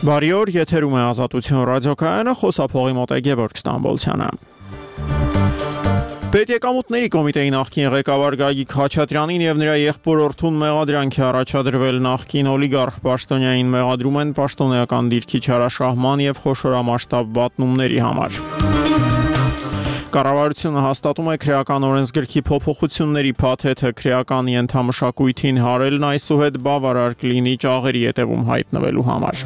Բարի օր, եթերում է Ազատություն ռադիոկայանը, խոսափողի մոտ է Գևորգ Ստամբոլցյանը։ Պետեկամուտների կոմիտեի նախկին ղեկավար Գագիկ Խաչատրյանին եւ նրա եղբոր Օրթուն մեղադրանքի առաջադրվել նախկին օլիգարխ պաշտոնյային մեղադրում են պաշտոնեական դիրքի չարաշահման եւ խոշորամասշտաբ վատնումների համար։ Կառավարությունը հաստատում է քրեական օրենսգրքի փոփոխությունների փաթեթը քրեական ենթամշակույթին հարելն այսուհետ բավարար կլինի ճաղերի ետևում հայտնվելու համար։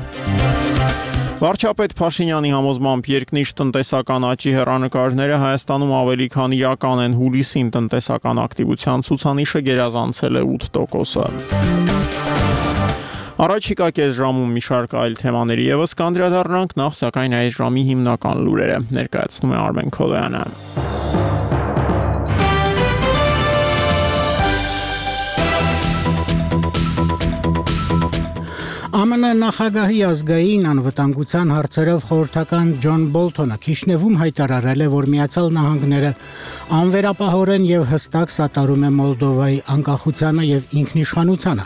Վարչապետ Փաշինյանի համոզմամբ երկնիշ տնտեսական աճի հեռանկարները Հայաստանում ավելի քան իրական են, հուլիսին տնտեսական ակտիվության ցուցանիշը գերազանցել է 8%-ը։ Առաջիկա կես ժամում մի շարք այլ թեմաների եւս կանդրադառնանք, նախ սակայն այս ժամի հիմնական լուրերը ներկայացնում է Արմեն Քոլոյանը։ ԱՄՆ նախագահի ազգային անվտանգության հարցերով խորհրդական Ջոն Բոլթոնը Քիշնևում հայտարարել է, որ Միացյալ Նահանգները անվերապահորեն եւ հստակ սատարում է Մոլդովայի անկախությանը եւ ինքնիշխանությանը։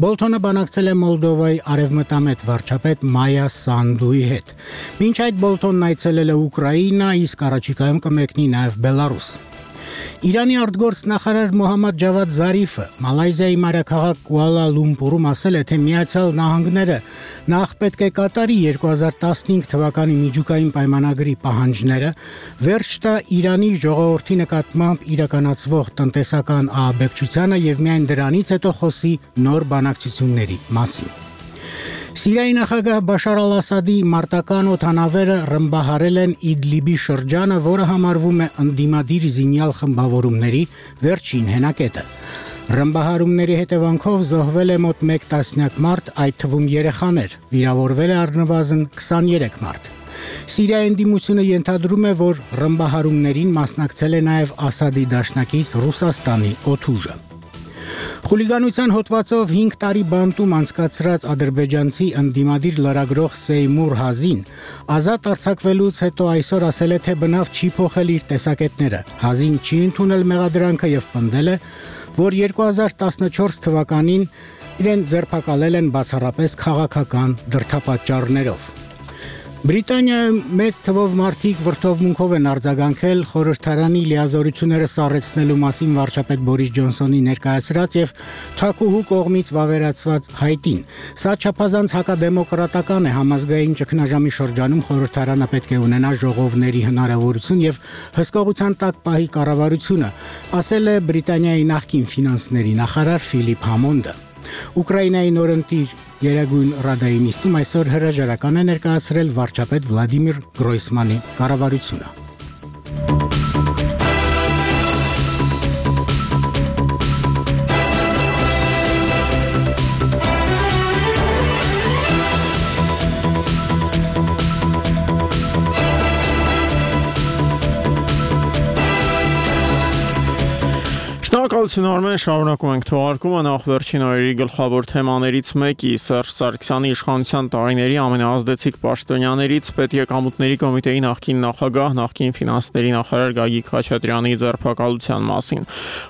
Բոլթոնը բանակցել է Մոլդովայի արևմտամետ վարչապետ Մայա Սանդուի հետ։ Մինչ այդ Բոլթոնն այցելել է Ուկրաինա, իսկ առաջիկայում կմեկնի նաեւ Բելարուս։ Իրանի արտգործնախարար Մոհամմադ Ջավադ Զարիֆը Մալայզիայի մայրաքաղաք Կուալա Լումպուրում ասել է, թե Միացյալ Նահանգները նախ պետք է կատարի 2015 թվականի միջուկային պայմանագրի պահանջները, վերջ տա Իրանի ժողովրդի նկատմամբ իրականացվող տնտեսական ահաբեկչությանը եւ միայն դրանից հետո խոսի նոր բանակցությունների մասին։ Սիրիայի նախագահ Բաշար Ալ-Ասադի մարտական օդանավերը ռմբահարել են Իդլիբի շրջանը, որը համարվում է ընդդիմադիր զինյալ խմբավորումների վերջին հենակետը։ Ռմբահարումների հետևանքով զոհվել է մոտ 1 տասնյակ մարդ, այդ թվում երեխաներ, վիրավորվել է առնվազն 23 մարդ։ Սիրիայի ընդդիմությունը ենթադրում է, որ ռմբահարումներին մասնակցել է նաև Ասադի դաշնակից Ռուսաստանի օդուժը։ Խուլիգանության հոդվածով 5 տարի բանտում անցկացրած ադրբեջանցի ընդդիմադիր լրագրող Սեյմուր Հազին ազատ արձակվելուց հետո այսօր ասել է, թե բնավ չի փոխել իր տեսակետները։ Հազին չի ընդունել մեղադրանքը եւ պնդել է, որ 2014 թվականին իրեն ձերբակալել են բացառապես քաղաքական դրդապատճառներով։ Բրիտանիայում մեծ թվով մարդիկ վրդովմունքով են արձագանքել խորհրդարանի լիազորությունները սառեցնելու մասին վարչապետ Բորիս Ջոնսոնի ներկայացրած եւ Թակուհու կողմից վավերացված հայտին։ Սա չափազանց հակադեմոկրատական է, համազգային ճգնաժամի շրջանում խորհրդարանը պետք է ունենա ժողովների հնարավորություն եւ հսկողության տակ պահի կառավարությունը, ասել է Բրիտանիայի նախկին ֆինանսների նախարար Ֆիլիպ Համոնդը։ Ուկրաինայի նորընտիր Երագույն Ռադայի նիստում այսօր հրաժարական է ներկայացրել վարչապետ Վլադիմիր Գրոյսմանի կառավարությունը։ Շնորհակալություն Արմեն, շարունակում ենք թողարկումը, նախ վերջին օրերի գլխավոր թեմաներից մեկի Սերժ Սարգսյանի իշխանության տարիների ամենաազդեցիկ պաշտոնյաներից Պետեկամուտների կոմիտեի նախկին նախագահ, նախկին ֆինանսների նախարար Գագիկ Խաչատրյանի ձերբակալության մասին։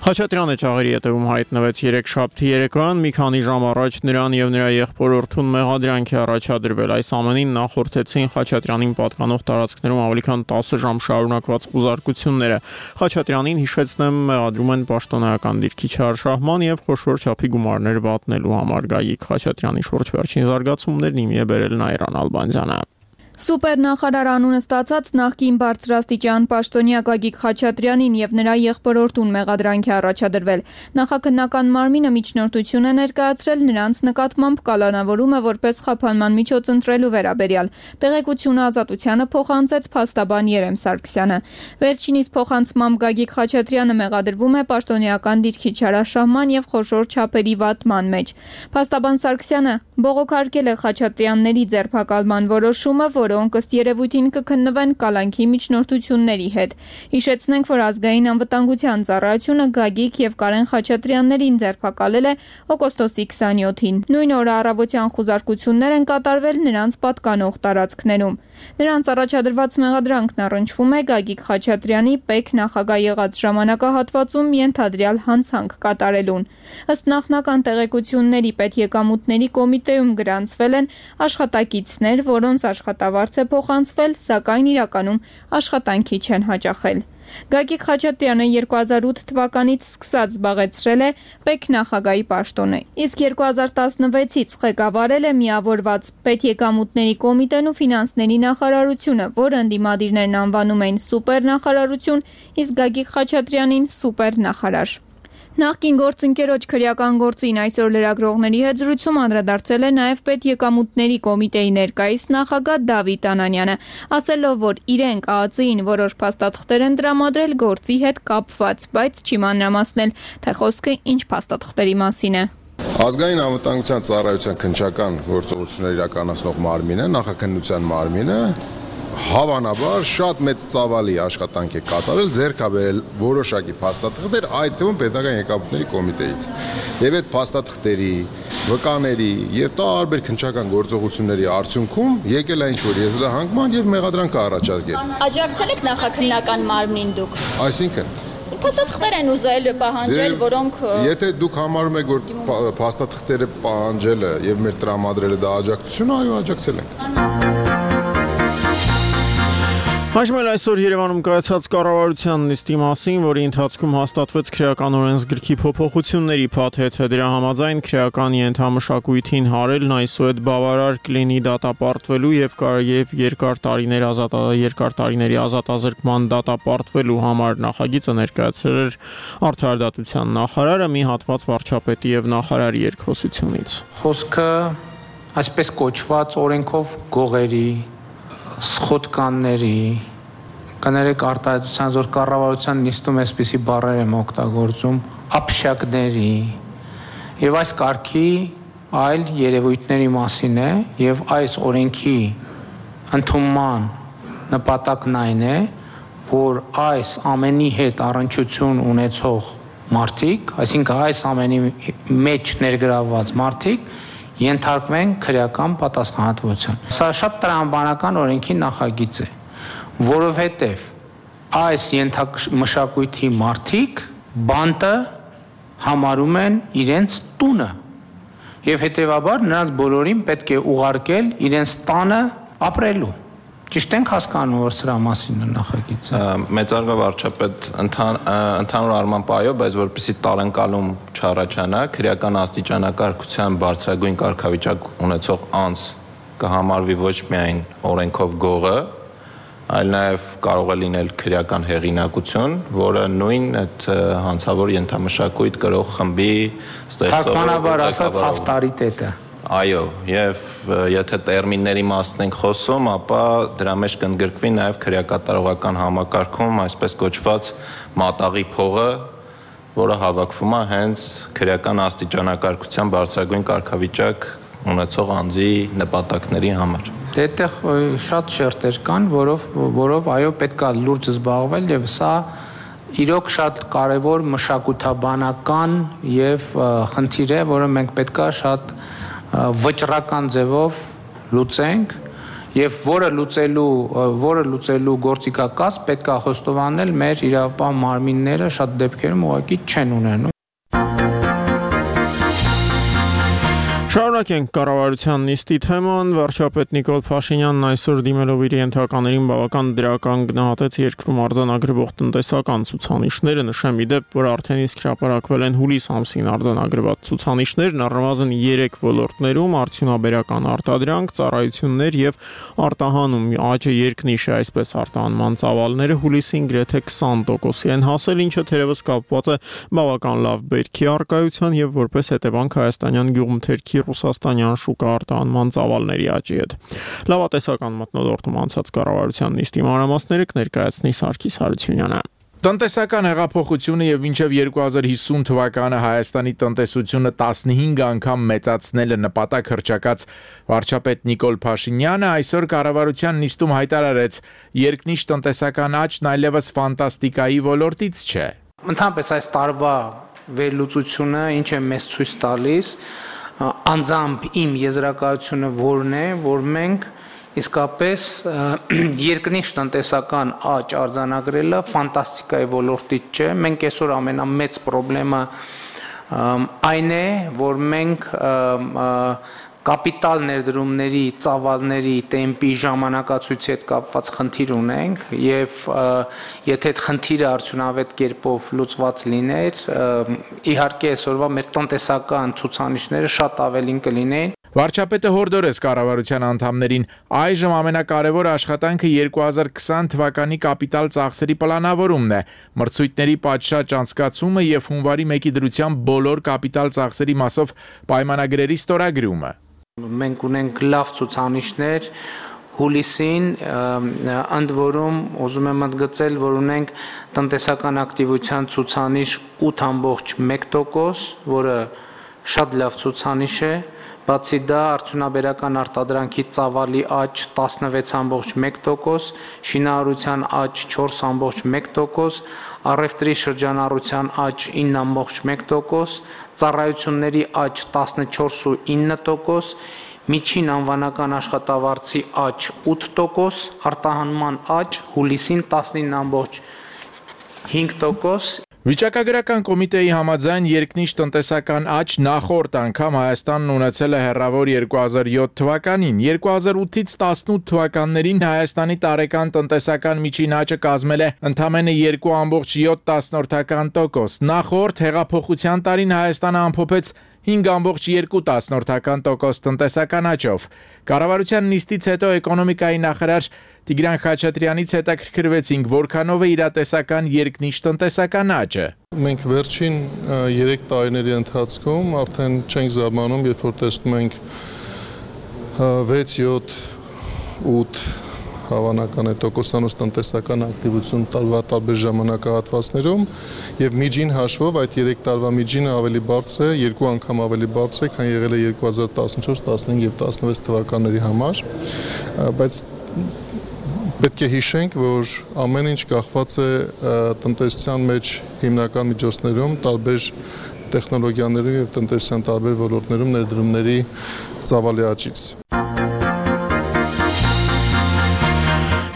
Խաչատրյանը ճաղերի ետևում հայտնվեց երեքշաբթի երեկոյան, մի քանի ժամ առաջ նրան եւ նրա եղբոր Օրթուն մեղադրանք է առաջադրվել։ Այս ամենին նախորդեցին Խաչատրյանին պատկանող տարածքներում ավելի քան 10 ժամ շարունակված ուզարկությունները։ Խաչատրյանին հիշեցնեմ մեղադրում են պաշտոնեական դիրքի չարաշահման եւ խոշոր չափի գումարներ վատնելու համար Գագիկ Խաչատրյանի շուրջ վերջին զարգացումներն իմի է բերել Նայիրան Ալբանդյանը։ Սուպերնախարար անունը ստացած նախկին բարձրաստիճան պաշտոնյա Գագիկ Խաչատրյանին եւ նրա եղբոր Օրթուն մեղադրանք է առաջադրվել։ Նախաքննական մարմինը միջնորդություն է ներկայացրել նրանց նկատմամբ կալանավորումը որպես խափանման միջոց ընտրելու վերաբերյալ։ Տեղեկությունը Ազատությանը փոխանցեց փաստաբան Երեմ Սարգսյանը։ Վերջինիս փոխանցմամբ Գագիկ Խաչատրյանը մեղադրվում է պաշտոնեական դիրքի չարաշահման եւ խոշոր չափերի վատման մեջ։ Փաստաբան Սարգսյանը բողոքարկել է Խաչատրյանների ձերբակալման որոշումը, որոնք ըստ երևույթին կքննվեն կալանքի միջնորդությունների հետ։ Հիշեցնենք, որ ազգային անվտանգության ծառայությունը Գագիկ եւ Կարեն Խաչատրյաններին ձերբակալել է օգոստոսի 27-ին։ Նույն օրը առավոտյան խուզարկություններ են կատարվել նրանց պատկանող տարածքներում։ Նրանց առաջադրված մեղադրանքն առնչվում է Գագիկ Խաչատրյանի ՊԵԿ նախագահ եղած ժամանակահատվածում ենթադրյալ հանցանք կատարելուն։ Ըստ նախնական տեղեկությունների Պետեկամուտների կոմիտեում գրանցվել են աշխատակիցներ, որոնց աշխատավարձ է փոխանցվել, սակայն իրականում աշխատանքի չեն հաճախել։ Գագիկ Խաչատրյանը 2008 թվականից սկսած զբաղեցրել է ՊԵԿ նախագահի պաշտոնը, իսկ 2016-ից ղեկավարել է միավորված Պետեկամուտների կոմիտեն ու ֆինանսների նախարարությունը, որը ընդդիմադիրներն անվանում էին սուպերնախարարություն, իսկ Գագիկ Խաչատրյանին սուպերնախարար։ Նախկին գործընկերոջ քրեական գործին այսօր լրագրողների հետ զրույցում անդրադարձել է նաև Պետեկամուտների կոմիտեի ներկայիս նախագահ Դավիթ Անանյանը, ասելով, որ իրենք ԱԱԾ-ին որոշ փաստաթղթեր են տրամադրել գործի հետ կապված, բայց չի մանրամասնել, թե խոսքը ինչ փաստաթղթերի մասին է։ Ազգային անվտանգության ծառայության քննչական գործողություններ իրականացնող մարմինը, նախաքննության մարմինը հավանաբար շատ մեծ ծավալի աշխատանք է կատարել, ձեռք է բերել որոշակի փաստաթղթեր, այդ թվում պետական եկամուտների կոմիտեից։ Եվ այդ փաստաթղթերի, վկաների եւ տարբեր քննչական գործողությունների արդյունքում եկել է ինչ-որ եզրահանգման եւ մեղադրանք առաջարկել։ Աջակցել եք նախաքննական մարմնին դուք։ Այսինքն փաստաթղթեր են ուզել պահանջել, որոնք Եթե դուք համարում եք, որ փաստաթղթերը պահանջելը եւ մեր տրամադրելը դա աջակցություն, այո, աջակցել ենք։ Հաշմել այսօր Երևանում կայացած կառավարության նիստի մասին, որի ընթացքում հաստատվեց քրեական օրենսգրքի փոփոխությունների փաթեթը, դրա համաձայն քրեական ենթամշակույթին հարելն այսուհետ բավարար կլինի դատապարտվելու եւ երկար տարիների ազատազրկման դատապարտվելու համար նախագիծը ներկայացրել էր Արդարադատության նախարարը մի հատված վարչապետի եւ նախարարի երկխոսությունից։ Խոսքը այսպես կոչված օրենքով գողերի սխոտկանների կներեք արտահայտության զոր կառավարության նիստում այսպիսի բառեր եմ օգտագործում ապշակների եւ այս կարգի այլ երևույթների մասին է եւ այս օրենքի ընդունման նպատակն այն է որ այս ամենի հետ առնչություն ունեցող մարդիկ, այսինքն այս ամենի մեջ ներգրավված մարդիկ ենթարկվեն քրեական պատասխանատվության։ Սա շատ տրամաբանական օրենքի նախագիծ է, որովհետև այս ենթամշակույթի մարդիկ բանտը համարում են իրենց տունը եւ հետեւաբար նրանց բոլորին պետք է ուղարկել իրենց տանը ապրելու։ Ճիշտ ենք հասկանում, որ սրա մասին է նախագիծը։ Մեծարգո վարչապետ ընդհանուր առմամբ այո, բայց որպեսզի տարընկալում չառաջանա, քրեական աստիճանակարգության բարձրագույն կարգավիճակ ունեցող անձ կհամարվի ոչ միայն օրենքով գողը, այլ նաև կարող է լինել քրեական հեղինակություն, որը նույն այդ հանցավոր ենթամշակույթ կրող խմբի ստեղծող թարգմանաբար ասած ավտորիտետը։ Այո, եւ եթե տերմինների մասն ենք խոսում, ապա դրա մեջ կընդգրկվի նաեւ քրեակատարողական համակարգում այսպես կոչված մատաղի փողը, որը հավաքվում է հենց քրեական աստիճանակարգության բարձրագույն կարգավիճակ ունեցող անձի նպատակների համար։ Այդտեղ շատ շերտեր կան, որով այո պետքա լուրջ զբաղվել եւ սա իրոք շատ կարեւոր մշակութաբանական եւ խնդիր է, որը մենք պետքա շատ վճռական ձևով լուծենք եւ որը լուծելու գործիքակաց պետք է խոստովանել մեր իրավապահ մարմինները շատ դեպքերում ուղղակի չեն ունենում։ Շարունակենք կառավարության նիստի թեման, վարչապետ Նիկոլ Փաշինյանն այսօր դիմելով իր ենթականերին բավական դրական գնահատեց երկրում արձանագրվող տնտեսական ցուցանիշները, նշեմ ի դեպ, որ արդեն իսկ հրապարակվել են հուլիս ամսին արձանագրված ցուցանիշներն առնվազն 3 ոլորտներում՝ արդյունաբերական արտադրանք, ծառայություններ եւ արտահանում աճը երկնիշ է, այսպես արտահանման ծավալները հուլիսին գրեթե 20% են հասել, ինչը թերևս կապված է բավական լավ բերքի առկայության եւ որպես հետևանք հայաստանյան գյուղմթերքի ռուսաստանյան շուկա արտահանման ծավալների աճի հետ։ Լավատեսական մթնոլորտում անցած կառավարության նիստի մանրամասները կներկայացնի Սարգիս Հարությունյանը։ Տնտեսական հեղափոխությունը եւ մինչեւ 2050 թվականը Հայաստանի տնտեսությունը 15 անգամ մեծացնելը նպատակ հռչակած վարչապետ Նիկոլ Փաշինյանը այսօր կառավարության նիստում հայտարարեց, երկնիշ տնտեսական աճն այլևս ֆանտաստիկայի ոլորտից չէ։ Ընդհանրապես այս տարվա վերլուծությունը ինչ է մեզ ցույց տալիս, անձամբ իմ եզրակացությունը որն է, որ մենք Իսկապես երկնիշ տնտեսական աճ արձանագրելը ֆանտաստիկայի ոլորտից չէ։ Մենք այսօր ամենամեծ խնդրեմը այն է, որ մենք կապիտալ ներդրումների, ծավալների տեմպի ժամանակացույցի հետ կապված խնդիր ունենք եւ եթե այդ խնդիրը արդյունավետ կերպով լուծված լիներ, իհարկե այսօրվա մեր տնտեսական ցուցանիշները շատ ավելին կլինեին։ Վարչապետը հորդորեց կառավարության անդամներին այժմ ամենակարևոր աշխատանքը 2020 թվականի կապիտալ ծախսերի պլանավորումն է, մրցույթների պատշաճ անցկացումը եւ հունվարի 1-ի դրությամբ բոլոր կապիտալ ծախսերի մասով պայմանագրերի ստորագրումը։ Մենք ունենք լավ ցուցանիշներ հուլիսին, ընդ որում ուզում եմ ընդգծել, որ ունենք տնտեսական ակտիվության ցուցանիշ 8.1%, որը շատ լավ ցուցանիշ է։ Բացի դա արդյունաբերական արտադրանքի ծավալի աճ 16.1%, շինարարության աճ 4.1%, առևտրի շրջանառության աճ 9.1%, ծառայությունների աճ 14.9%, միջին անվանական աշխատավարձի աճ 8%, արտահանման աճ հուլիսին 19.5%։ Վիճակագրական կոմիտեի համաձայն երկնիշ տնտեսական աճ նախորդ անգամ Հայաստանն ունեցել է հեռավոր 2007 թվականին, 2008-ից 18 թվականներին Հայաստանի տարեկան տնտեսական միջին աճը կազմել է ընդամենը 2.7%, նախորդ հեղափոխության տարին Հայաստանը ամփոփեց 5.2% տնտեսական աճով։ Կառավարության նիստից հետո էկոնոմիկայի նախարար Տիգրան Խաչատրյանից հետաքրքրվեցինք, որքանով է իրատեսական երկնիշ տնտեսական աճը։ Մենք վերջին 3 տարիների ընթացքում արդեն չենք զարմանում, երբ որ տեսնում ենք 6, 7, 8 հավանական է տոկոսանոց տնտեսական ակտիվություն տարվա տարբեր ժամանակահատվածներում եւ միջին հաշվով այդ 3 տարվա միջինը ավելի բարձր է, 2 անգամ ավելի բարձր է, քան եղել է 2014, 15 եւ 16 թվականների համար, բայց պետք է հիշենք, որ ամեն ինչ կախված է տնտեսության մեջ հիմնական միջոցներում, տարբեր տեխնոլոգիաներում եւ տնտեսության տարբեր ոլորտներում ներդրումների ծավալի աճից։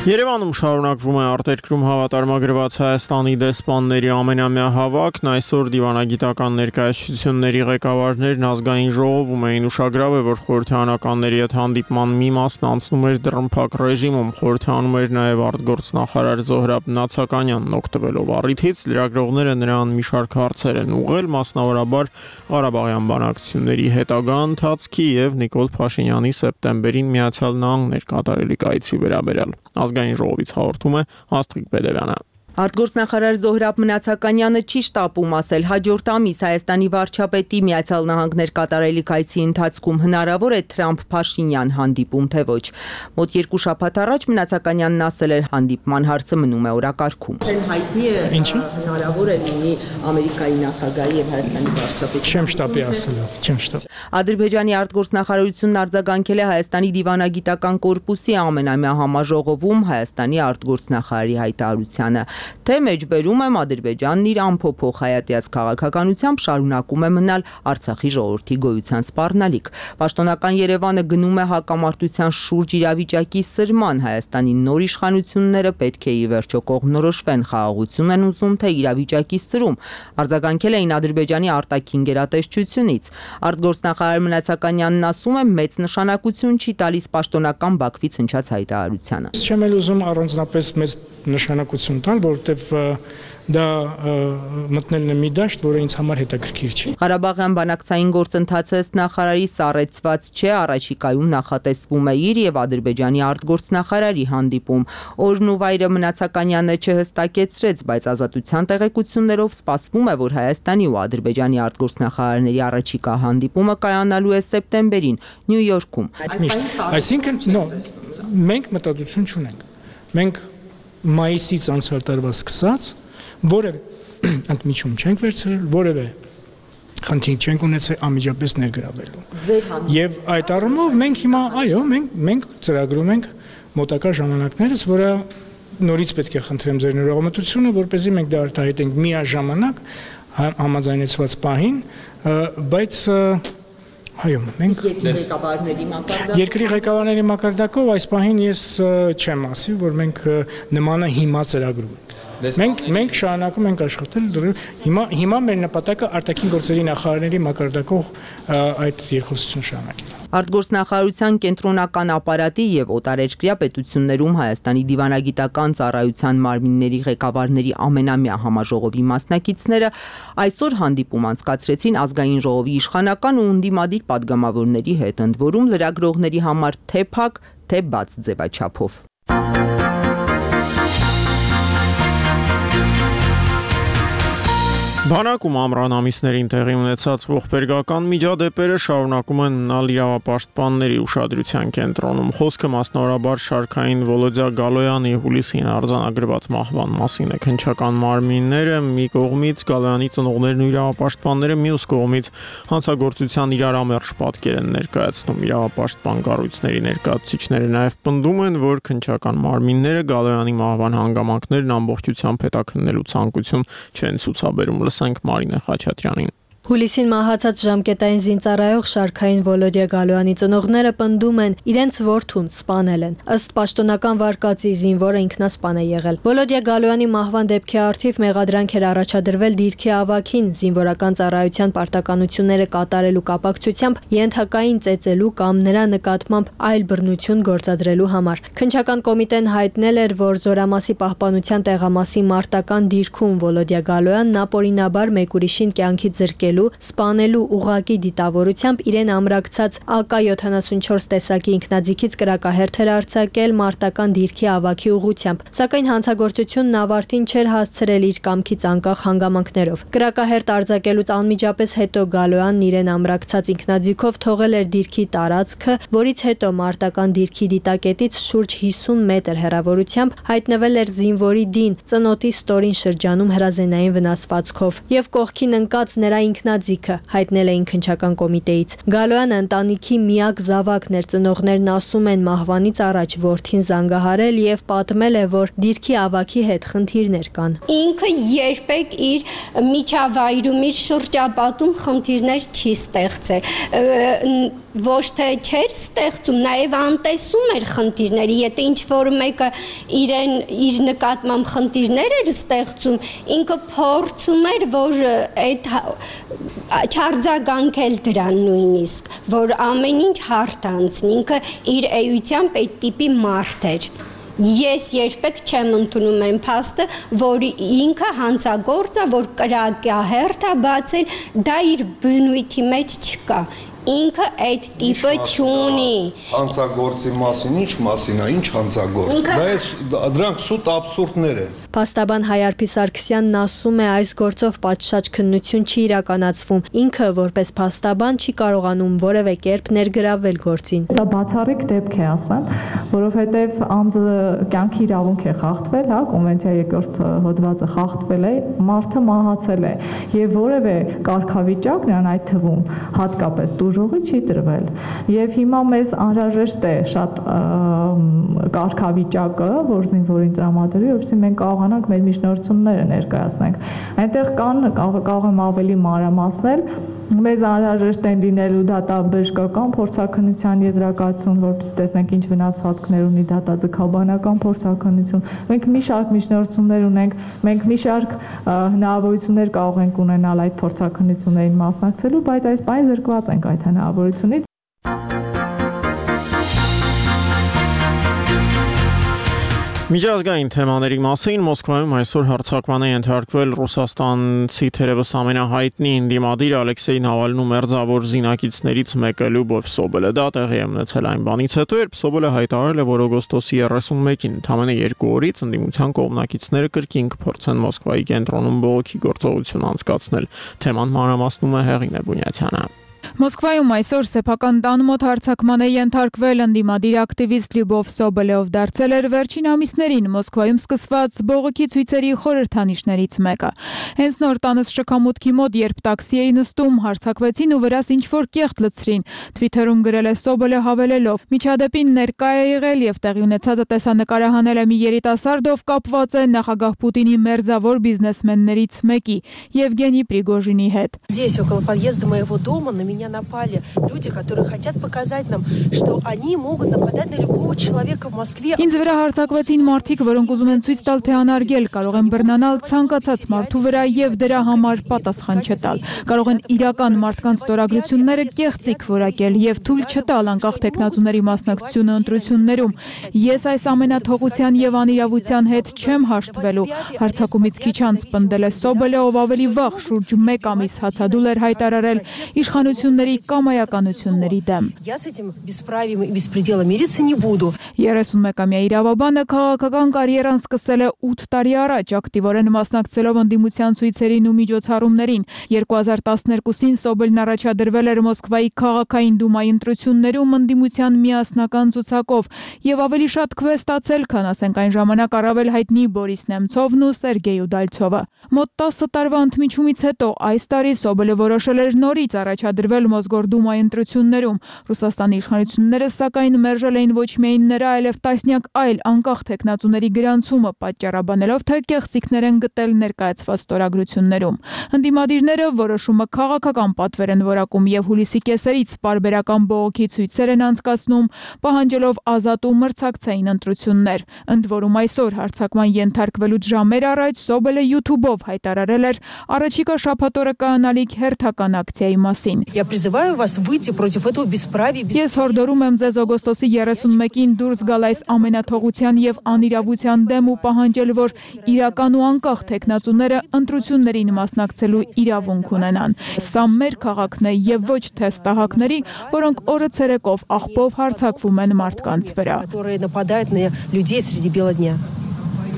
Երևանում շարունակվում է արտերկրում հավատարմագրված Հայաստանի դեսպանների ամենամյա հավաքն, այսօր դիվանագիտական ներկայացությունների ղեկավարներն ազգային ժողովում էին ուշագրավ է, որ խորհրդարանականների հետ հանդիպման մի մասն անցնում էր դռնփակ ռեժիմում, խորհրդանում էր նաև արտգործնախարար Զոհրաբ Նացականյանն օգտվելով առիթից, լրագրողները նրան մի շարք հարցեր են ուղղել, մասնավորաբար Ղարաբաղյան բանակցությունների հետագա ընթացքի եւ Նիկոլ Փաշինյանի սեպտեմբերին Միացյալ Նահանգներ կատարելիք այցի վերաբերյալ։ Ազգային ժողովից հաղորդում է Աստղիկ Բեդևյանը։ Արտգործնախարար Զոհրաբ Մնացականյանը չի շտապում ասել հաջորդ ամիս Հայաստանի վարչապետի Միացյալ Նահանգներ կատարելիք այցի ընթացքում հնարավոր է Թրամփ-Փաշինյան հանդիպում, թե ոչ։ Մոտ 2 շաբաթ առաջ Մնացականյանն ասել էր հանդիպման հարցը մնում է օրակարգում։ Հայտնի է հնարավոր է լինի Ամերիկայի նախագահի եւ Հայաստանի վարչապետի։ Չեմ շտապի ասել, չեմ շտապ։ Ադրբեջանի արտգործնախարարությունն արձագանքել է Հայաստանի դիվանագիտական կորպուսի ամենամյա համաժողովում Հայաստանի արտգործնախարարի հայտարարությանը։ Թե մեջբերում եմ Ադրբեջանն իր ամփոփող հայատյաց քաղաքականությամբ շարունակում է մնալ Արցախի ժողովրդի գոյության սպառնալիք։ Պաշտոնական Երևանը գնում է հակամարտության շուրջ իրավիճակի սրման, Հայաստանի նոր իշխանությունները պետք է ի վերջո կողմնորոշվեն, խաղաղություն են ուզում, թե իրավիճակի սրում, արձագանքել էին Ադրբեջանի արտաքին գերատեսչությունից։ Արտգործնախարար Մնացականյանն ասում է, մեծ նշանակություն չի տալիս պաշտոնական Բաքվից հնչած հայտարարությանը։ Չեմ էլ ուզում առանձնապես մեծ նշանակություն տալ, որովհետև դա մտնելն է մի դաշտ, որը ինձ համար հետաքրքիր չի։ Ղարաբաղյան բանակցային գործընթացը նախարարի սառեցված չէ, առաջիկայում նախատեսվում է իր եւ Ադրբեջանի արտգործնախարարի հանդիպում։ Օրն ու վայրը Մնացականյանը չհստակեցրեց, բայց Ազատության տեղեկություններով սպասվում է, որ Հայաստանի ու Ադրբեջանի արտգործնախարարների առաջիկա հանդիպումը կայանալու է սեպտեմբերին Նյու Յորքում։ Այսինքն, մենք մտածություն չունենք։ Մենք մայիսից անցյալ տարվա սկսած որևէ ընդմիջում չենք վերցրել, որևէ խնդիր չենք ունեցել անմիջապես ներգրավելու։ Եվ այդ առումով մենք հիմա, այո, մենք ծրագրում ենք մոտակա ժամանակներս, որը նորից պետք է խնդրեմ ձեր ներողամտությունը, որպեսզի մենք դա արտահայտենք միաժամանակ համաձայնեցված պահին, բայց Այո, մենք երկրի ղեկավարների մակարդակով այս պահին ես չեմ ասի, որ մենք նմանը հիմա ծրագրում ենք։ Մենք շարունակում ենք աշխատել, հիմա մեր նպատակը արտաքին գործերի նախարարների մակարդակով այդ երկխոսություն շարունակել։ Արտգործնախարարության կենտրոնական ապարատի եւ օտարերկրյա պետություններում Հայաստանի դիվանագիտական ծառայության մարմինների ղեկավարների ամենամյա համաժողովի մասնակիցները այսօր հանդիպում անցկացրեցին ազգային ժողովի իշխանական ու ընդդիմադիր падգամավորների հետ, ընդ որում լրագրողների համար թե փակ, թե բաց ձևաչափով։ Բանակում ամռան ամիսներին տեղի ունեցած ողբերգական միջադեպերը շարունակում են մնալ իրավապաշտպանների ուշադրության կենտրոնում։ Խոսքը մասնավորաբար շարքային Վոլոդյա Գալոյանի հուլիսին արձանագրված մահվան մասին է։ Քննչական մարմինները մի կողմից, Գալոյանի ծնողներն ու իրավապաշտպանները մյուս կողմից հանցագործության իրարամերժ պատկեր են ներկայացնում։ Իրավապաշտպան կառույցների ներկայացուցիչները նաև պնդում են, որ քննչական մարմինները Գալոյանի մահվան հանգամանքներն ամբողջությամբ հետաքննելու ցանկություն չեն ցուցաբերում։ Մարինե Խաչատրյանին։ Հուլիսին մահացած ժամկետային զինծառայող շարքային Վոլոդյա Գալոյանի ծնողները պնդում են իրենց որդուն սպանել են։ Ըստ պաշտոնական վարկածի զինվորը ինքնասպան է եղել։ Վոլոդյա Գալոյանի մահվան դեպքի առթիվ մեղադրանք էր առաջադրվել դիրքի ավագին զինվորական ծառայության պարտականությունները կատարելու կապակցությամբ ենթակային ծեծելու կամ նրա նկատմամբ այլ բռնություն գործադրելու համար։ Քննչական կոմիտեն հայտնել էր, որ Զորամասի պահպանության տեղամասի մարտական դիրքում Վոլոդյա Գալոյանն ապօրինաբար մեկ ուրիշին կյանքի զրկել սպանելու ուղղակի դիտավորությամբ իրեն ամրակցած AK-74 տեսակի ինքնաձիգից կրակահերթ էր արձակել մարտական դիրքի ավագի ուղղությամբ, սակայն հանցագործությունն ավարտին չէր հասցրել իր կամքից անկախ հանգամանքներով։ Կրակահերթ արձակելուց անմիջապես հետո Գալոյանն իրեն ամրակցած ինքնաձիգով թողել էր դիրքի տարածքը, որից հետո մարտական դիրքի դիտակետից շուրջ 50 մետր հեռավորությամբ հայտնվել էր զինվորի դին ծնոտի ստորին շրջանում հրազենային վնասվածքով եւ կողքին ընկած նրա ինքնաձիգը, հայտնել էին քննչական կոմիտեից։ Գալոյանը ընտանիքի միակ զավակն էր, ծնողներն ասում են մահվանից առաջ որդին զանգահարել եւ պատմել է, որ դիրքի ավագի հետ խնդիրներ կան։ Ինքը երբեք իր միջավայրում, իր շրջապատում խնդիրներ չի ստեղծել։ Ոչ թե չէր ստեղծում, նաև անտեսում էր խնդիրները, եթե ինչ-որ մեկը իր նկատմամբ խնդիրներ էր ստեղծում, ինքը փորձում էր, որ այդ չարձագանքել դրան նույնիսկ, որ ամեն ինչ հարթ անցնի, ինքը իր էությամբ այդ տիպի մարդ էր։ Ես երբեք չեմ ընդունում այն փաստը, որ ինքը հանցագործ է, որ կրակահերթ է բացել, դա իր բնույթի մեջ չկա։ Ինքը այդ տիպը չունի։ Հանցագործի մասին, ինչ մասին է, ինչ հանցագործ։ Դրանք սուտ աբսուրդներ են։ Փաստաբան Հայարփի Սարգսյանն ասում է, այս գործով պատշաճ քննություն չի իրականացվում։ Ինքը որպես փաստաբան չի կարողանում որևէ կերպ ներգրավել գործին։ Դա բացառիկ դեպք է, ասեմ, որովհետև անձը կյանքի իրավունք է խախտվել, հա, կոնվենցիայի 2-րդ հոդվածը խախտվել է, մարդը մահացել է եւ որևէ կարգավիճակ նրան այդ թվում հատկապես դժողի չի տրվել եւ հիմա մեզ անհրաժեշտ է շատ կարգավիճակը, որ զինվորին տրամադրի, որովհետեւ մենք կարողանանք մեր միջնորդությունները ներկայացնենք։ Այնտեղ կարող եմ ավելի մանրամասնել, մեզ անհրաժեշտ են լինելու դատաբժշկական փորձաքննության եզրակացություն, որպեսզի տեսնենք ինչ վնասվածքներ ունի դատաձգաբանական փորձաքննություն։ Մենք մի շարք միջնորդություններ ունենք, մենք մի շարք հնարավորություններ կարող ենք ունենալ այդ փորձաքննություններին մասնակցելու, բայց այս պահին զրկված ենք այդ հնարավորությունից։ Միջազգային թեմաների մասին Մոսկվայում այսօր հարձակման է ենթարկվել Ռուսաստանցի թերևս ամենահայտնի ընդդիմադիր Ալեքսեյ Նավալնու մերձավոր զինակիցներից մեկը Լյուբով Սոբելը։ Դա տեղի է ունեցել այն բանից հետո, երբ Սոբելը հայտարարել է, որ օգոստոսի 31-ին, ընդամենը 2 օրից ընդդիմության կողմնակիցները կրկին կփորձեն Մոսկվայի կենտրոնում բողոքի գործողություն անցկացնել։ Թեման մանրամասնում է Հեղինե Բունյացյանը։ Մոսկվայում այսօր սեփական տան մոտ հարձակման է ենթարկվել ընդդիմադիր ակտիվիստ Լյուբով Սոբելը, ով դարձել էր վերջին ամիսներին Մոսկվայում սկսված բողոքի ցույցերի խորհրդանիշներից մեկը։ Հենց նոր տանս շքամուտքի մոտ, երբ տաքսի էի նստում, հարձակվեցին ու վրաս ինչ-որ կեղտ լցրին։ Թվիթերում գրել է Սոբելը հավելելով. «Միջադեպին ներկա է եղել եւ տեղի ունեցածը տեսանկարահանել է մի երիտասարդ, ով կապված է նախագահ Պուտինի մերձավոր բիզնեսմեններից մեկի՝ Եվգենի Պրիգոժինի հետ։ меня напали люди, которые хотят показать нам, что они могут нападать на любого человека в Москве. Ինձ վրա հարձակվեցին մարդիկ, որոնք ուզում են ցույց տալ, թե անարգել կարող են բռնանալ ցանկացած մարդու վրա եւ դրա համար պատասխան չտալ։ Կարող են իրական մարդկանց ստորագրությունները կեղծիք որակել եւ թույլ չտալ անկախ տեխնացուների մասնակցությունը ընտրություններում։ Ես այս ամենաթողության եւ անիրավության հետ չեմ հաշտվելու։ Հարձակումից քիչ անց պնդել է Սոբելը, ով ավելի վաղ շուրջ 1 ամիս հացադուլ էր հայտարարել իշխանությունների կամայականությունների դեմ։ Я с этим бесправием и беспределом мириться не буду. 31-ամյա իրավաբանը քաղաքական կարիերան սկսել է 8 տարի առաջ, ակտիվորեն մասնակցելով ընդդիմության ցույցերին ու միջոցառումներին։ 2012-ին Սոբելն առաջադրվել էր Մոսկվայի քաղաքային դումայի ընտրություններում ընդդիմության միասնական ցուցակով եւ ավելի շատ քվե ստացել, քան ասենք այն ժամանակ առավել հայտնի Բորիս Նեմցովն ու Սերգեյ Ուդալցովը։ Մոտ 10 տարվա ընդմիջումից հետո այս տարի Սոբելը որոշել էր նորից առաջադրվել Մոսգորդումայի ընտրություններում։ Ռուսաստանի իշխանությունները սակայն մերժել էին ոչ միայն նրա, այլև տասնյակ այլ անկախ տեխնացուների գրանցումը, պատճառաբանելով, թե կեղծիքներ են գտել ներկայացված ստորագրություններում։ Ընդդիմադիրները որոշումը քաղաքական պատվեր են որակում եւ հուլիսի կեսերից պարբերական բողոքի ցույցեր են անցկացնում, պահանջելով ազատ ու մրցակցային ընտրություններ։ Ընդ որում այսօր հարձակման ենթարկվելուց ժամեր առաջ Սոբելը YouTube-ով հայտարարել էր առաջիկա շաբաթօրը կայանալիք հերթական ակցիայի մասին։ Я призываю вас выйти против этого бесправия. Ես հորդորում եմ ձեզ օգոստոսի 31-ին դուրս գալ այս ամենաթողության եւ անիրավության դեմ ու պահանջել, որ իրական ու անկախ տեխնացուները ընտրություններին մասնակցելու իրավունք ունենան։ Սա մեր քաղաքն է եւ ոչ թե ստահակների, որոնք օրը ցերեկով աղբով հարձակվում են մարդկանց վրա։ Которые нападают на людей среди бела дня.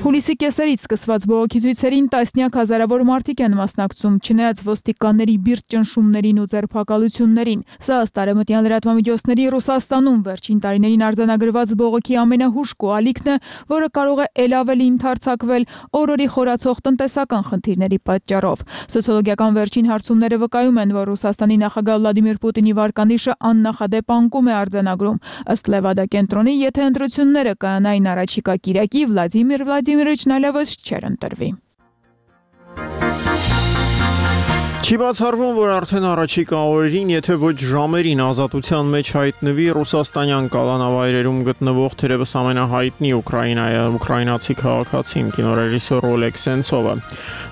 Հուլիսի կեսերից սկսված բողոքի ցույցերին տասնյակ հազարավոր մարդիկ են մասնակցում, չնայած ոստիկանների բիրտ ճնշումներին ու ձերբակալություններին։ Սա ըստ արևմտյան լրատվամիջոցների Ռուսաստանում վերջին տարիներին արձանագրված բողոքի ամենահուժկու ալիքն է, որը կարող է ել ավելի ընդարձակվել օրորի խորացող տնտեսական խնդիրների պատճառով։ Սոցիոլոգիական վերջին հարցումները վկայում են, որ Ռուսաստանի նախագահ Վլադիմիր Պուտինի վարկանիշը աննախադեպ անկում է արձանագրում։ Ըստ Լևադա կենտրոնի, եթե ընտրությունները կայանային առաջիկա կիրակի, Վլադիմիր Վլադիմիրիչն այլևս չէր ընտրվի։ Չի բացառվում, որ արդեն առաջիկա օրերին, եթե ոչ ժամերին ազատության մեջ հայտնվի ռուսաստանյան կալանավայրերում գտնվող թերևս ամենահայտնի ուկրաինացի քաղաքացին կինոռեժիսոր Օլեգ Սենցովը։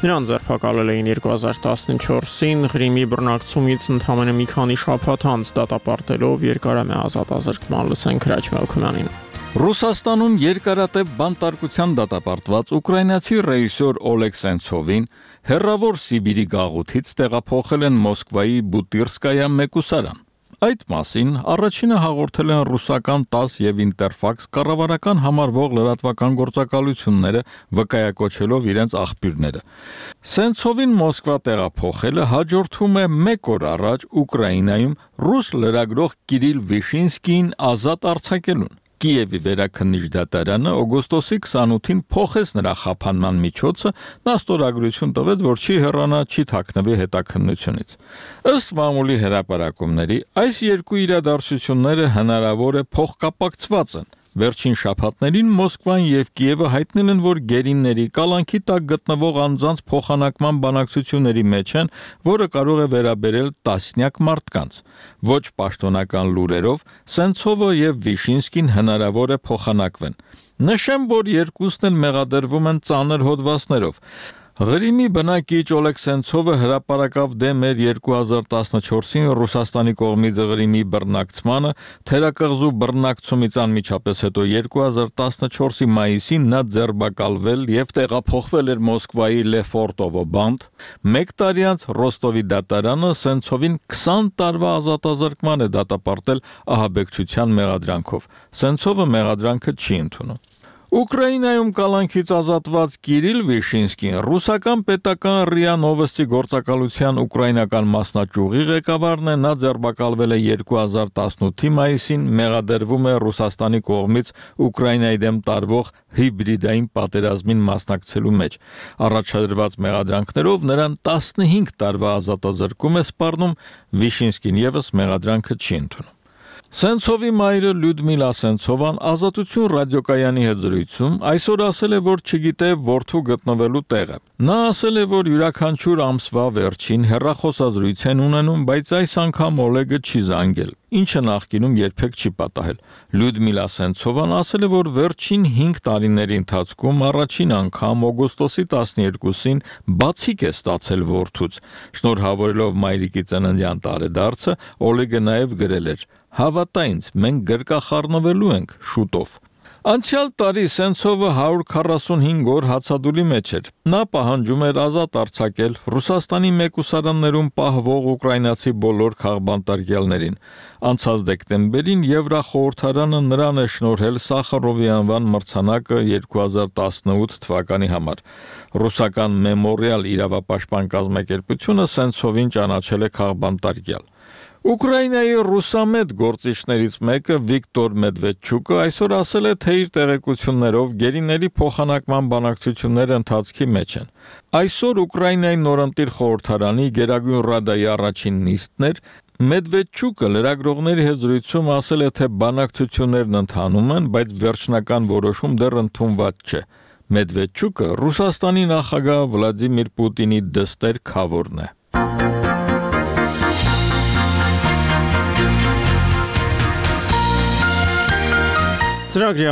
Նրան ձերբակալել էին 2014-ին Ղրիմի բռնակցումից ընդամենը մի քանի շաբաթ անց դատապարտելով երկարամյա ազատազրկման։ Լսենք Հրաչ Մելքումյանին։ Ռուսաստանում երկարատև բանտարկության դատապարտված ուկրաինացի ռեժիսոր Օլեգ Սենցովին հեռավոր Սիբիրի գաղութից տեղափոխել են Մոսկվայի Բուտիրսկայա մեկուսարան։ Այդ մասին առաջինը հաղորդել են ռուսական ՏԱՍՍ եւ Ինտերֆաքս կառավարական համարվող լրատվական գործակալությունները, վկայակոչելով իրենց աղբյուրները։ Սենցովին Մոսկվա տեղափոխելը հաջորդում է 1 օր առաջ Ուկրաինայում ռուս լրագրող Կիրիլ Վիշինսկիին ազատ արձակելուն։ Կիևի վերաքննիչ դատարանը օգոստոսի 28-ին փոխեց նրա խափանման միջոցը, նա ստորագրություն տվեց, որ չի հեռանա, չի թաքնվի հետաքննությունից։ Ըստ մամուլի հրապարակումների, այս երկու իրադարձությունները հնարավոր է փոխկապակցված են։ Վերջին շաբաթներին Մոսկվան եւ Կիևը հայտնել են, որ գերիների կալանքի տակ գտնվող անձանց փոխանակման բանակցությունների մեջ են, որը կարող է վերաբերել տասնյակ մարդկանց։ Ոչ պաշտոնական լուրերով Սենցովը եւ Վիշինսկին հնարավոր է փոխանակվեն։ Նշեմ, որ երկուսն էլ մեղադրվում են ծանր հոդվածներով։ Ղրիմի բնակիչ Օլեգ Սենցովը հրապարակավ դեմ էր 2014-ին Ռուսաստանի կողմից Ղրիմի բռնակցմանը, թերակղզու բռնակցումից անմիջապես հետո 2014-ի մայիսին նա ձերբակալվել եւ տեղափոխվել էր Մոսկվայի Լեֆորտովո բանտ։ 1 տարի անց Ռոստովի դատարանը Սենցովին 20 տարվա ազատազրկման է դատապարտել ահաբեկչության մեղադրանքով։ Սենցովը մեղադրանքը չի ընդունում։ Ուկրաինայում կալանքից ազատված Կիրիլ Վիշինսկին ռուսական պետական ՌԻԱ Նովոստի գործակալության ուկրաինական մասնաճյուղի ղեկավարն է, նա ձերբակալվել է 2018-ի մայիսին, մեղադրվում է Ռուսաստանի կողմից Ուկրաինայի դեմ տարվող հիբրիդային պատերազմին մասնակցելու մեջ։ Առաջադրված մեղադրանքներով նրան 15 տարվա ազատազրկում է սպառնում, Վիշինսկին եւս մեղադրանքը չի ընդունում։ Սենցովի մայրը Լյուդմիլա Սենցովան Ազատություն ռադիոկայանի հետ զրույցում այսօր ասել է, որ չգիտե որդու գտնվելու տեղը։ Նա ասել է, որ յուրաքանչյուր ամսվա վերջին հեռախոսազրույց են ունենում, բայց այս անգամ Օլեգը չի զանգել, ինչը նախկինում երբեք չի պատահել։ Լյուդմիլա Սենցովան ասել է, որ վերջին 5 տարիների ընթացքում առաջին անգամ օգոստոսի 12-ին բացիկ է ստացել որդուց։ Շնորհավորելով մայրիկի ծննդյան տարեդարձը, Օլեգը նաև գրել էր. «Հավատա ինձ, մենք գրկախառնվելու ենք շուտով»։ Անցյալ տարի Սենցովը 145 օր հացադուլի մեջ էր։ Նա պահանջում էր ազատ արձակել Ռուսաստանի մեկուսարաններում պահվող ուկրաինացի բոլոր քաղբանտարկյալներին։ Անցած դեկտեմբերին Եվրախորհրդարանը նրան է շնորհել Սախարովի անվան մրցանակը 2018 թվականի համար։ Ռուսական Մեմորիալ իրավապաշտպան կազմակերպությունը Սենցովին ճանաչել է քաղբանտարկյալ։ Ուկրաինայի ռուսամետ գործիչներից մեկը Վիկտոր Մեդվեդչուկը այսօր ասել է, թե իր տեղեկություններով գերիների փոխանակման բանակցությունները ընթացքի մեջ են։ Այսօր Ուկրաինայի նորընտիր խորհրդարանի Գերագույն Ռադայի առաջին նիստն էր։ Մեդվեդչուկը լրագրողների հետ զրույցում ասել է, թե բանակցություններն ընթանում են, բայց վերջնական որոշում դեռ ընդունված չէ։ Մեդվեդչուկը Ռուսաստանի նախագահ Վլադիմիր Պուտինի դստեր քավորն է։ Ծրագրի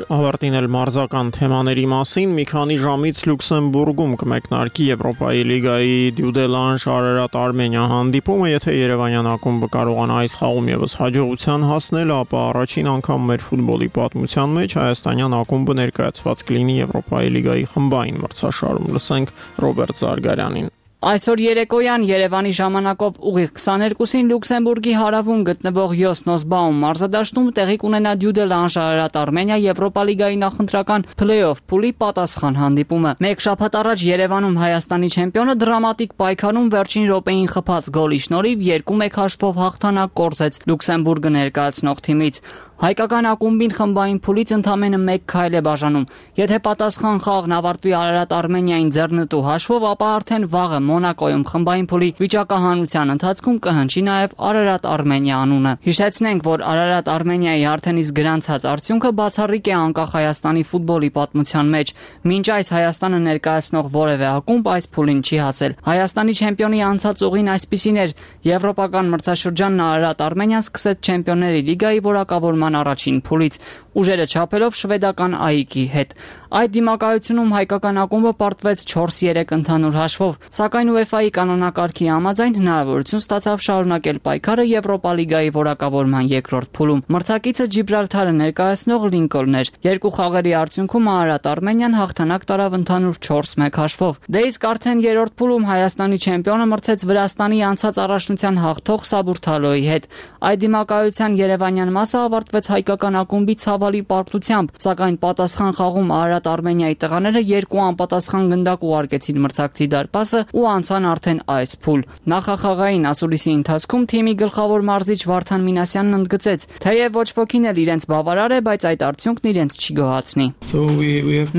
ավարտին էլ մարզական թեմաների մասին մի քանի ժամից Լյուքսեմբուրգում կմեկնարկի Եվրոպայի լիգայի Դյուդելանժ Արարատ Արմենիա հանդիպումը, եթե Երևանյան ակումբը կարողանա այս խաղում եւս հաջողության հասնել, ապա առաջին անգամ մեր ֆուտբոլի պատմության մեջ հայաստանյան ակումբը ներկայացված կլինի Եվրոպայի լիգայի խմբային մրցաշարում։ Լսենք Ռոբերտ Զարգարյանին։ Այսօր երեկոյան Երևանի ժամանակով ուղիղ 22-ին Լյուքսեմբուրգի հարավում գտնվող Յոսնոսբաում մարզադաշտում տեղի կունենա Դյուդելանժ Արարատ Արմենիա Եվրոպա լիգայի նախընտրական փլեյօֆ փուլի պատասխան հանդիպումը։ Մեկ շաբաթ առաջ Երևանում Հայաստանի չեմպիոնը դրամատիկ պայքարում վերջին րոպեին խփած գոլի շնորհիվ 2-1 հաշվով հաղթանակ կորզեց Լյուքսեմբուրգը ներկայացնող թիմից։ Հայկական ակումբին խմբային փուլից ընդամենը 1 քայլ է բաժանում։ Եթե պատասխան խաղն ավարտվի Արարատ Արմենիային ձեռնտու հաշվով, ապա արդեն վաղը Մոնակոյում խմբային փուլի վիճակահանության ընթացքում կհնչի նաև Արարատ Արմենիա անունը։ Հիշեցնենք, որ Արարատ Արմենիայի արդեն իսկ գրանցած արդյունքը բացառիկ է անկախ Հայաստանի ֆուտբոլի պատմության մեջ։ Մինչ այս Հայաստանը ներկայացնող որևէ ակումբ այս փուլին չի հասել։ Հայաստանի չեմպիոնի անցած ուղին այսպիսին էր. Եվրոպական մրցաշրջանն Արարատ Արմենիան սկսեց Չեմպիոնների լիգայի որակավորման առաջին փուլից, ուժերը չափելով շվեդական ԱԻԿ-ի հետ։ Այդ դիմակայությունում հայկական ակումբը պարտվեց 4-3 ընդհանուր հաշվով, սակայն UEFA-ի կանոնակարգի համաձայն հնարավորություն ստացավ շարունակել պայքարը Եվրոպա լիգայի որակավորման երկրորդ փուլում։ Մրցակիցը Ջիբրալթարը ներկայացնող Լինկոլն էր։ Երկու խաղերի արդյունքում Արարատ Արմենիան հաղթանակ տարավ ընդհանուր 4-1 հաշվով։ Դե իսկ արդեն երրորդ փուլում Հայաստանի չեմպիոնը մրցեց Վրաստանի անցած առաջնության հաղթող Սաբուրթալոյի հետ։ Այդ դիմակայության երևանյան մասը ավարտվեց հայկական ակումբի ցավալի պարտությամբ, սակայն պատասխան խաղում Արարատ Արմենիայի տղաները 2 անպատասխան գնդակ ուղարկեցին մրցակցի դարպասը ու անցան արդեն այս փուլ։ Նախախաղային ասուլիսի ընթացքում թիմի գլխավոր մարզիչ Վարդան Մինասյանն ընդգծեց, թեև ոչ ոքին էլ իրենց բավարար է, բայց այդ արդյունքն իրենց չի գոհացնի։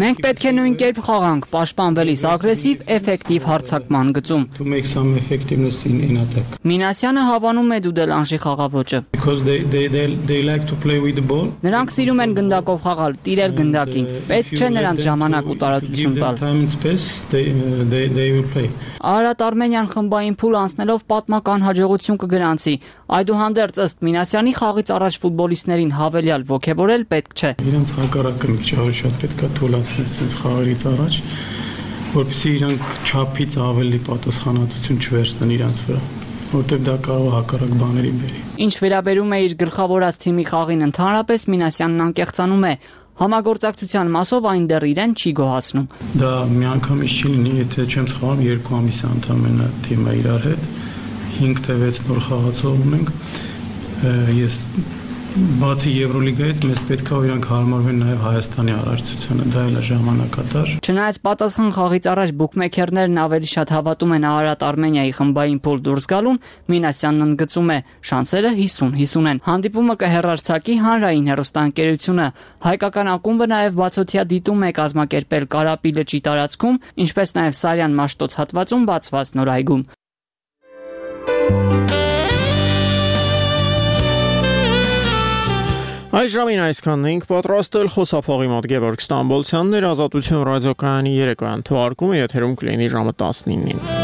Մենք պետք է նույն կերպ խաղանք, պաշտպանվելիս ագրեսիվ, էֆեկտիվ հարձակման գծում։ Մինասյանը հավանում է Դյուդելանժի խաղաոճը։ Նրանք սիրում են գնդակով խաղալ, տիրել գնդակին։ Պետք չէ նրանց ժամանակ ու տարածություն տալ։ Արարատ Արմենիան խմբային փուլ անցնելով պատմական հաջողություն կգրանցի։ Այդուհանդերձ ըստ Մինասյանի խաղից առաջ ֆուտբոլիստներին հավելյալ ոգևորել պետք չէ։ Իրենց հակառակը մի քիչ ավելի շատ պետք է թույլատրել sense խաղերից առաջ, որպեսզի իրանք չափից ավելի պատասխանատվություն չվերցնեն իրենց վրա, որտեղ դա կարող է հակառակ բաների բերի։ Ինչ վերաբերում է իր գլխավորած թիմի խաղին ընդհանրապես, Մինասյանն անկեղծանում է։ Համագործակցության մասով այն դեռ իրեն չի գոհացնում։ Դա միանգամից չի լինի, եթե չեմ սխալվում, 2 ամիս ընդամենը թիմը իրար հետ 5 թե 6 նոր խաղացող ունենք։ Ես բացի Եվրոլիգայից մեզ պետք է իրանք հարմարվեն նաև Հայաստանի առաջնությանը, դա էլ է ժամանակատար։ Չնայած պատասխան խաղից առաջ բուկմեքերներն ավելի շատ հավատում են Արարատ Արմենիայի խմբային փուլ դուրս գալուն, Մինասյանն ընդգծում է, շանսերը 50-50 են։ Հանդիպումը կհեռարձակի Հանրային հեռուստաընկերությունը։ Հայկական ակումբը նաև բացօթյա դիտում է կազմակերպել Կարապի լճի տարածքում, ինչպես նաև Սարյան Մաշտոց հատվածում բացված նոր այգում։ Այս ժամին այսքանն ենք պատրաստել խոսափողի մոտ Գևորգ Ստամբոլցյանն էր Ազատություն ռադիոկայանի երեկոյան թողարկումը եթերում կլինի ժամը 19-ին։